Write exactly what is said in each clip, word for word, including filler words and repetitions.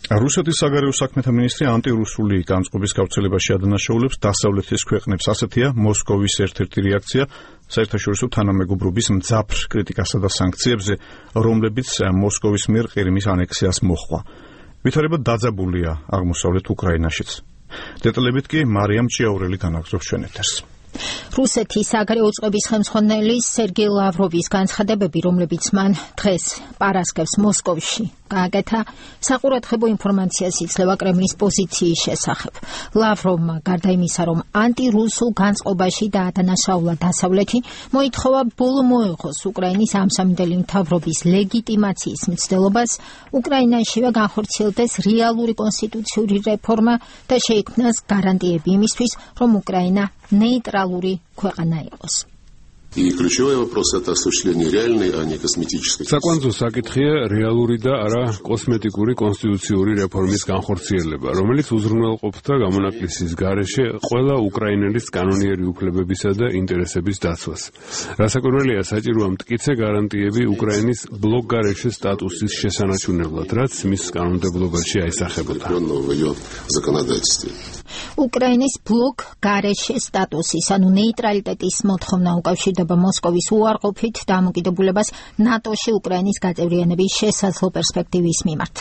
რუსეთის საგარეო საქმეთა მინისტრი ანტირუსული განწყობის გავრცელებაში ადანაშაულებს დასავლეთის ქვეყნებს. ასეთია მოსკოვის ერთ-ერთი რეაქცია საერთაშორისო თანამეგობრობის მძაფრ კრიტიკასა და სანქციებზე, რომლებიც მოსკოვის მიერ ყირიმის ანექსიას მოჰყვა. ვითარება დაძაბულია აღმოსავლეთ უკრაინაშიც. დეტალებით კი მარიამ ჭიაურელი განაგრძობს ჩვენ ეთერს. რუსეთის საგარეო წყობის ხელმძღვანელი სერგეი ლავროვის განცხადებები, რომლებიც მან დღეს პარასკევს მოსკოვში გააკეთა, საყურადღებო ინფორმაციას იძლევა კრემლის პოზიციის შესახებ. ლავროვმა გარდა იმისა, რომ ანტირუსულ განწყობაში დაადანაშაულა დასავლეთი, მოითხოვა ბოლო მოეღოს უკრაინის ამსამინდელი მთავრობის ლეგიტიმაციის მცდელობას, უკრაინაშივე განხორციელდეს რეალური კონსტიტუციური რეფორმა და შეიქმნას გარანტიები იმისთვის, რომ უკრაინა нейтралური ქვეყანა იყოს. И ключевой вопрос это осуществление реальной, а не косметической. Საკვანძო საკითხია რეალური და არა კოსმეტიკური კონსტიტუციური რეფორმის განხორციელება, რომელიც უზრუნველყოფდა გამონაკლისის გარეშე ყველა უკრაინელის კანონიერი უფლებებისა და ინტერესების დაცვას. რასაკვირველია, საჭიროა მტკიცე გარანტიები უკრაინის ბლოკ-გარეშე სტატუსის შესანარჩუნებლად, რაც მის კანონმდებლობაში აისახებოდა. უკრაინის ბლოკ-გარეშე სტატუსის, ანუ ნეიტრალიტეტის მოთხოვნა უკავშირდება მოსკოვის უარყოფით დამოკიდებულებას ნატოში უკრაინის გაწევრიანების შესაძლო პერსპექტივის მიმართ.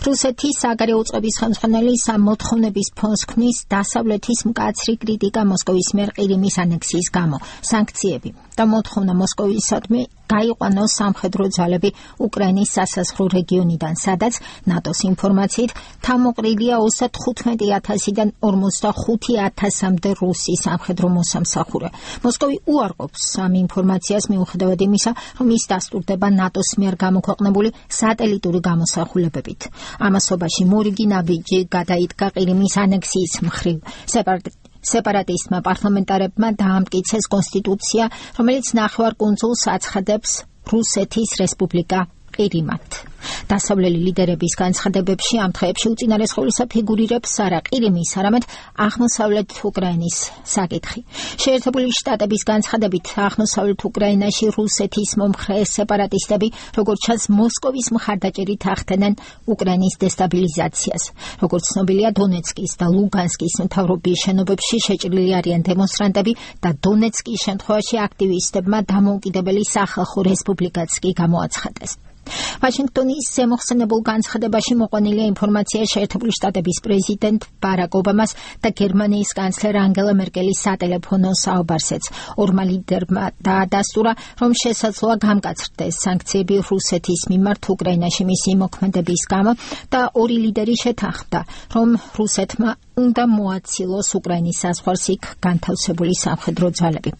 რუსეთის საგარეო წყობის ხელმძღვანელი ამ მოთხოვნების ფონს ქმნის დასავლეთის მკაცრი კრიტიკა მოსკოვის მიერ ყირიმის ანექსიის გამო, სანქციები და მოთხოვნა მოსკოვისადმი გაიყვანოს სამხედრო ძალები უკრაინის სასაზღვრო რეგიონიდან, სადაც ნატოს ინფორმაციით თავმოყრილია ოცდათხუთმეტი ათასიდან ორმოცდახუთი ათასამდე რუსი სამხედრო მოსამსახურე. მოსკოვი უარყოფს ამ ინფორმაციას მიუხედავად იმისა, რომ ის დასტურდება ნატოს მიერ გამოქვეყნებული სატელიტური გამოსახულებებით. ამასობაში მორიგი ნაბიჯი გადაიდგა ყირიმის ანექსიის მხრივ. სეპარატისტმა პარლამენტარებმა დაამტკიცეს კონსტიტუცია, რომელიც ნახევარკუნძულს აცხადებს რუსეთის რესპუბლიკა ყირიმად. დასავლელი ლიდერების განცხადებებში ამ დღეებში უწინარესხულისა ფიგურირებს არა ყირიმის, არამედ აღმოსავლეთ უკრაინის საკითხი. შეერთებული შტატების განცხადებით, აღმოსავლეთ უკრაინაში რუსეთის მომხრე სეპარატისტები, როგორც ჩანს, მოსკოვის მხარდაჭერით ახდენენ უკრაინის დესტაბილიზაციას. როგორც ცნობილია, დონეცკის და ლუგანსკის მთავრობის შენობებში შეჭრილი არიან დემონსტრანტები და დონეცკის შემთხვევაში აქტივისტებმა დამოუკიდებელი სახალხო რესპუბლიკაც კი გამოაცხადეს. ვაშინგტონის ზემოხსენებულ განცხადებაში მოყვანილია ინფორმაცია შეერთებული შტატების პრეზიდენტ ბარაკ ობამას და გერმანიის კანცლერ ანგელა მერკელის სატელეფონო საუბარსეც. ორმა ლიდერმა დაადასტურა, რომ შესაძლოა გამკაცრდეს სანქციები რუსეთის მიმართ უკრაინაში მისი მოქმედების გამო და ორი ლიდერი შეთანხმდა, რომ რუსეთმა უნდა მოაცილოს უკრაინის საზღვარს იქ განთავსებული სამხედრო ძალები.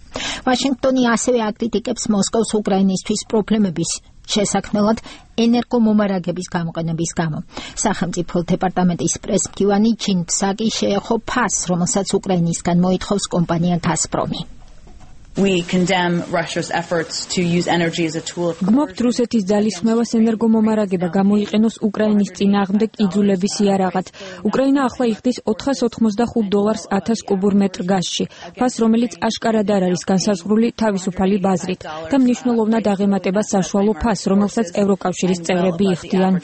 ვაშინგტონი ასევე აკრიტიკებს მოსკოვს უკრაინისთვის პრობლემების შესაქმნელად ენერგომომარაგების გამოყენების გამო. სახელმწიფო დეპარტამენტის პრესმდივანი ჯინ ფსაკი შეეხო ფასს, რომელსაც უკრაინისგან მოითხოვს კომპანია გაზპრომი. We condemn Russia's efforts to use energy as a tool of გმობთ რუსეთის ძალისხმევას ენერგომომარაგება გამოიყენოს უკრაინის წინააღმდეგ იძულების იარაღად. უკრაინა ახლა იხდის ოთხასოთხმოცდახუთ დოლარს ათას კუბურ მეტრ გაზში, ფას რომელიც აშკარად არ არის განსაზღვრული თავისუფალი ბაზრით და მნიშვნელოვნად აღემატება საშუალო ფასს, რომელსაც ევროკავშირის წევრები იხდიან.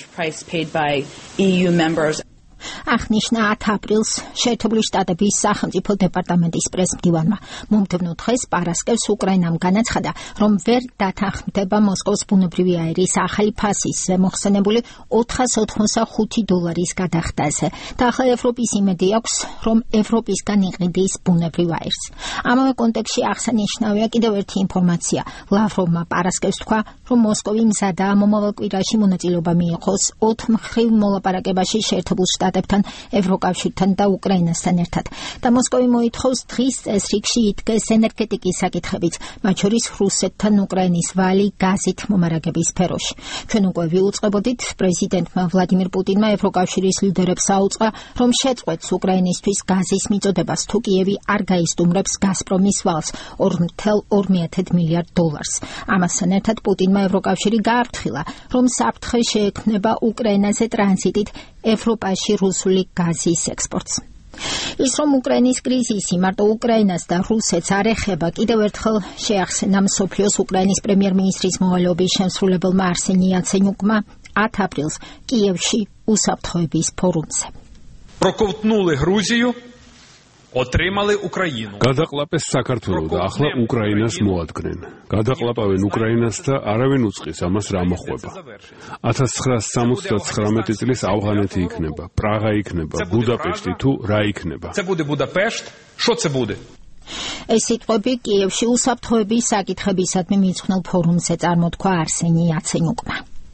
აღნიშნა ათი აპრილს შეერთებული შტატების სახელმწიფო დეპარტამენტის პრესმდივანმა. მომდევნო დღეს პარასკევს უკრაინამ განაცხადა, რომ ვერ დათანხმდება მოსკოვის ბუნებრივი აირის ახალი ფასის მოხსენებული ოთხასოთხმოცდახუთი დოლარის გადახდაზე და ახლა ევროპის იმედი აქვს, რომ ევროპისგან იყიდის ბუნებრივ აირს. ამავე კონტექსტში აღსანიშნავია კიდევ ერთი ინფორმაცია. ლავროვმა პარასკევს თქვა, რომ მოსკოვი მზადაა მომავალ კვირაში მონაწილეობა მიიღოს ოთხმხრივ მოლაპარაკებაში შეერთებულ შტატებთან, ევროკავშირთან და უკრაინასთან ერთად. და მოსკოვი მოითხოვს დღის წესრიგში იდგეს ენერგეტიკის საკითხებიც, მათ შორის რუსეთთან უკრაინის ვალი გაზით მომარაგების სფეროში. ჩვენ უკვე ვიუწყებოდით, პრეზიდენტმა ვლადიმირ პუტინმა ევროკავშირის ლიდერებს აუწყა, რომ შეწყვეტს უკრაინისთვის გაზის მიწოდებას, თუ კიევი არ გაისტუმრებს გაზპრომის ვალს ორ წუთი ორი მილიარდ დოლარს. ამასთან ერთად პუტინმა ევროკავშირი გააფრთხილა, რომ საფრთხე შეექმნება უკრაინაზე ტრანზიტით ევროპაში რუსული გაზის ექსპორტს. ის რომ უკრაინის კრიზისი მარტო უკრაინას და რუსეთს არ ეხება, კიდევ ერთხელ შეახსენა მსოფლიოს უკრაინის პრემიერ-მინისტრის მოვალეობის შემსრულებელმა არსენი იაცენიუკმა ათი აპრილს კიევში უსაფრთხოების ფორუმზე. Проковтнули Грузію, отримали Україну. გადაყლაპეს საქართველო და ახლა უკრაინას მოადგნენ. გადაყლაპავენ უკრაინას და არავინ უწყის ამას რა მოხდება. ათას ცხრაასი სამოცდათხრამეტი წლის ავღანეთი იქნება, პრაღა იქნება, ბუდაპეშტი თუ რა იქნება. Це буде Будапешт. Що це буде? ეს სიტყვები კიევში უსაფრთხოების საკითხებისადმი მიძღვნილ ფორუმზე წარმოთქვა არსენი იაცენიუკმა.